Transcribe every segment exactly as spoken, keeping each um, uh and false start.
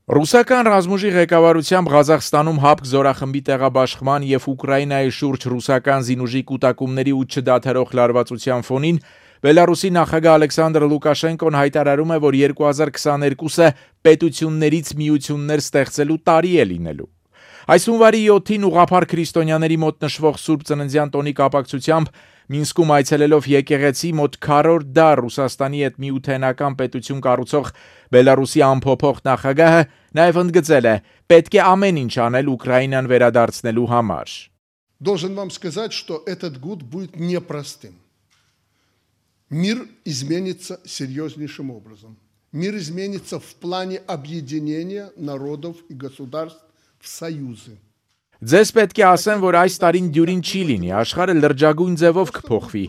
Ռուսական ռազմուժի ղեկավարությամբ Ղազախստանում ՀԱՊԿ զորախմբի տեղաբաշխման և Ուկրաինայի շուրջ ռուսական զինուժի կուտակումների ու չդադարող լարվածության ֆոնին Բելարուսի նախագահ Ալեքսանդր Լուկաշենկոն հայտարարում է, որ երկու հազար քսաներկուսը պետություններից միություններ ստեղծելու տարի է լինելու։ Այս հունվարի յոթին ուղղափառ քրիստոնյաների մոտ նշվող Սուրբ Ծննդյան տոնի կապակցությամբ Մինսկում այցելելով եկեղեցի մոտ քառորդ դար Ռուսաստանի հետ միութենական պետություն կառուցող Բելարուսի անփոփոխ նախագահը նաև ընդգծել է, պետք է ամեն ինչ անել Ուկրաինան վերադարձնելու համար։ Должен вам сказать, что этот год будет непростым. Мир изменится серьезнейшим образом. Мир изменится в плане объединения народов и государств в союзы. Ձեզ պետք է ասեմ, որ այս տարին դյուրին չի լինի, աշխարհը լրջագույն ձևով կփոխվի,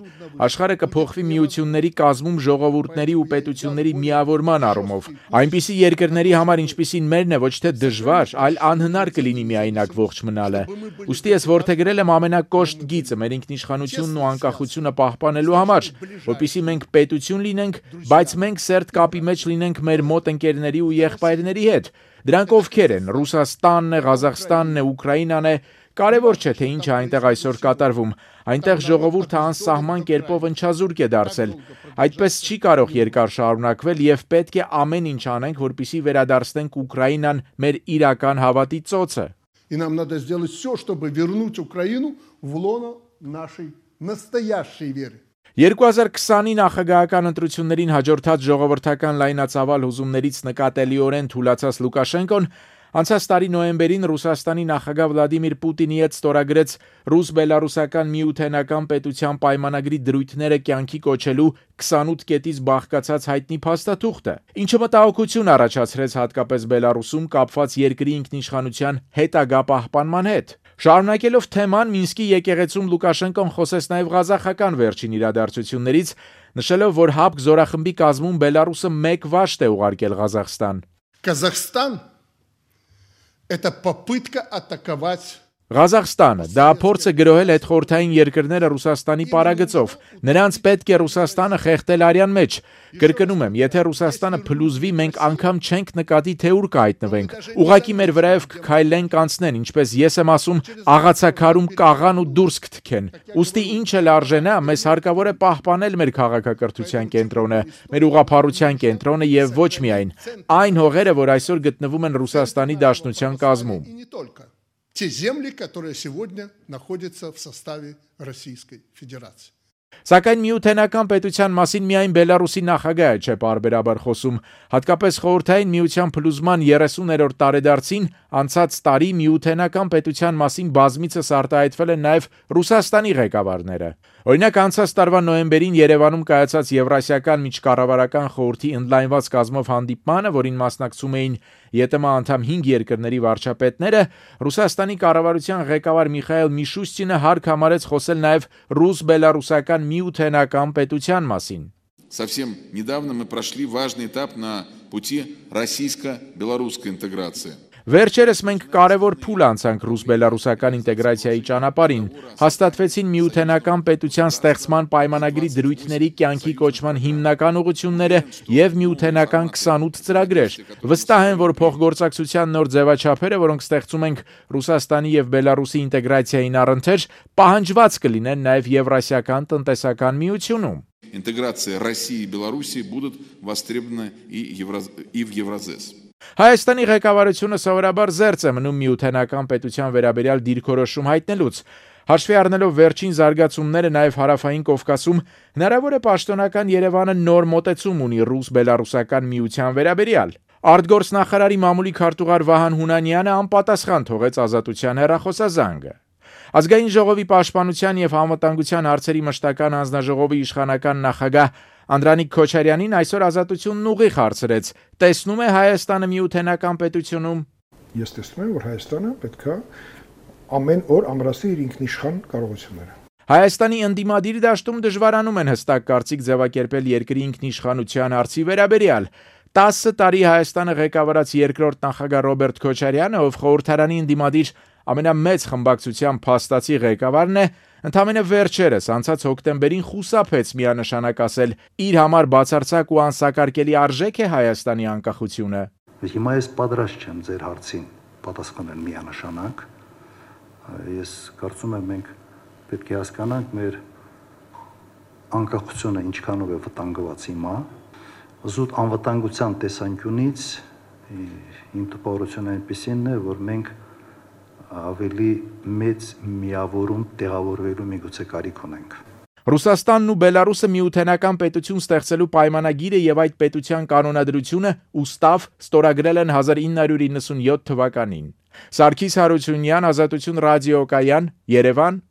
աշխարհը կփոխվի միությունների կազմում ժողովուրդների ու պետությունների միավորման առումով, այնպիսի երկրների համար, ինչպիսին մերն է, ոչ թե դժվար, այլ անհնար կլինի միայնակ ողջ մնալը։ Ուստի ես որդեգրել եմ ամենակոշտ գիծը մեր ինքնիշխանությունն ու անկախությունը պահպանելու համար, որպեսզի մենք պետություն լինենք, բայց մենք սերտ կապի մեջ լինենք մեր մոտ ընկերների ու եղբայրների հետ։ Դրանք ովքեր են, Ռուսաստանն է, Ղազախստանն է, Ուկրաինան է, կարևոր չէ, թե ինչ է այնտեղ այսօր կատարվում, այնտեղ ժողովուրդը անսահման կերպով ընչազուրկ է դարձել, այդպես չի կարող երկար շարունակվել և պետք է ամեն ինչ անենք, որպեսզի վերադարձնենք Ուկրաինան մեր իրական հավատի ծոցը։ И нам надо сделать все, чтобы вернуть Украину в лоно нашей настоящей веры. երկու հազար քսանի նախագահական ընտրություններին հաջորդած ժողովրդական լայնածավալ հուզումներից նկատելիորեն թուլացած Լուկաշենկոն անցած տարի նոյեմբերին Ռուսաստանի նախագահ Վլադիմիր Պուտինի հետ ստորագրեց ռուս-բելարուսական միութենական պետության պայմանագրի դրույթները կյանքի կոչելու քսանութ կետից բաղկացած հայտնի փաստաթուղթը, ինչը մտահոգություն առաջացրեց հատկապես Բելարուսում կապված երկրի ինքնիշխանության հետագա պահպանման հետ։ Շարունակելով թեման, Մինսկի եկեղեցում Լուկաշենկոն խոսեց նաև ղազախական վերջին իրադարձություններից, նշելով, որ ՀԱՊԿ զորախմբի կազմում Բելարուսը մեկ վաշտ է ուղարկել Ղազախստան։ Казахстан – это попытка атаковать Ղազախստանը դա փորձ է գրոհել հետխորհրդային երկրները Ռուսաստանի պարագծով, նրանց պետք է Ռուսաստանը խեղդել արյան մեջ։ Կրկնում եմ, եթե Ռուսաստանը փլուզվի, մենք անգամ չենք նկատի, թե ուր կհայտնվենք։ Ուղղակի մեր վրայով կքայլեն կանցնեն, ինչպես ես եմ ասում, աղացաքարում կաղան ու դուրս կթքեն։ Ուստի ինչ էլ արժենա, մեզ հարկավոր է պահպանել մեր քաղաքակրթության կենտրոնը, մեր ուղղափառության կենտրոնը եւ ոչ միայն այն հողերը, որ այսօր գտնվում են Ռուսաստանի Դաշնության կազմում։ Те земли, которые сегодня находятся в составе Российской Федерации. Սակայն միութենական պետության մասին միայն Բելարուսի նախագահը չէ պարբերաբար խոսում, հատկապես խորհրդային միության փլուզման երեսուներորդ տարեդարձին անցած տարի միութենական պետության մասին բազմիցս արտահայտվել են նաև Ռուսաստանի ղեկավարները։ Օրինակ անցած տարվա նոյեմբերին Երևանում կայացած Եվրասիական միջկառավարական խորհրդի ընդլայնված կազմով հանդիպմանը, որին մասնակցում էին ԵՏՄ անդամ հինգ երկրների վարչապետները, Ռուսաստանի կառավարության ղեկավար Միխայել Միշուստինը հարկ համարեց խոսել նաև ռուս-բելարուսական միութենական պետության մասին։ Совсем недавно мы прошли важный этап на пути российско-белорусской интеграции. Վերջերս մենք կարևոր փուլ անցանք ռուս-բելարուսական ինտեգրացիայի ճանապարհին, հաստատվեցին միութենական պետության ստեղծման պայմանագրի դրույթների կյանքի կոչման հիմնական ուղղությունները եւ միութենական քսանութ ծրագրեր։ Վստահ եմ, որ փոխգործակցության նոր ձևաչափերը, որոնք ստեղծում ենք Ռուսաստանի եւ Բելարուսի ինտեգրացիային առընթեր, պահանջված կլինեն նաեւ Եվրասիական տնտեսական միությունում։ Интеграция России и Беларуси будут востребованы и в Евразес. Հայաստանի ղեկավարությունը սովորաբար զերծ է մնում միութենական պետության վերաբերյալ դիրքորոշում հայտնելուց։ Հաշվի առնելով վերջին զարգացումները նաև հարավային Կովկասում, հնարավոր է պաշտոնական Երևանը նոր մոտեցում ունի ռուս-բելարուսական միության վերաբերյալ։ Արտգործնախարարի մամուլի քարտուղար Վահան Հունանյանը անպատասխան թողեց Ազատության հեռախոսազանգը։ Ազգային ժողովի պաշտպանության եւ անվտանգության հարցերի մշտական հանձնաժողովի իշխանական նախագահ Անդրանիկ Քոչարյանին այսօր Ազատությունն ուղիղ հարցրեց. տեսնում է Հայաստանը միութենական պետությունում։ Ես տեսնում եմ, որ Հայաստանը պետք է ամեն օր ամրացնի իր ինքնիշխան կարողությունները։ Հայաստանի ընդդիմադիր դաշտում դժվարանում են հստակ կարծիք ձևակերպել երկրի ինքնիշխանության հարցի վերաբերյալ։ տասը տարի Հայաստանը ղեկավարած երկրորդ նախագահ Ռոբերտ Քոչարյանը, ով խորհրդարանի ընդդիմադիր ամենամեծ խմբակցության փաստացի ղեկավարն է, ընդամենը վերջերս անցած հոկտեմբերին խուսափեց միանշանակ ասել՝ իր համար բացարձակ ու անսակարկելի արժեք է Հայաստանի անկախությունը։ Հիմա ես պատրաստ չեմ ձեր հարցին պատասխանել միանշանակ։ Ես կարծում եմ մենք պետք է հասկանանք մեր անկախությունը ինչքանով է վտանգված հիմա։ Զուտ անվտանգության տեսանկյունից իմ տպավորությունը այնպիսին է, որ մենք ավելի մեծ միավորում տեղավորվելու միգուցե կարիք ունենք։ Ռուսաստանն ու Բելարուսը միութենական պետություն ստեղծելու պայմանագիրը եւ այդ պետության կանոնադրությունը ուստավ ստորագրել են հազար ինը հարյուր իննսունյոթ թվականին։ Սարգիս Հարությունյան, Ազատություն ռադիոկայան, Երևան,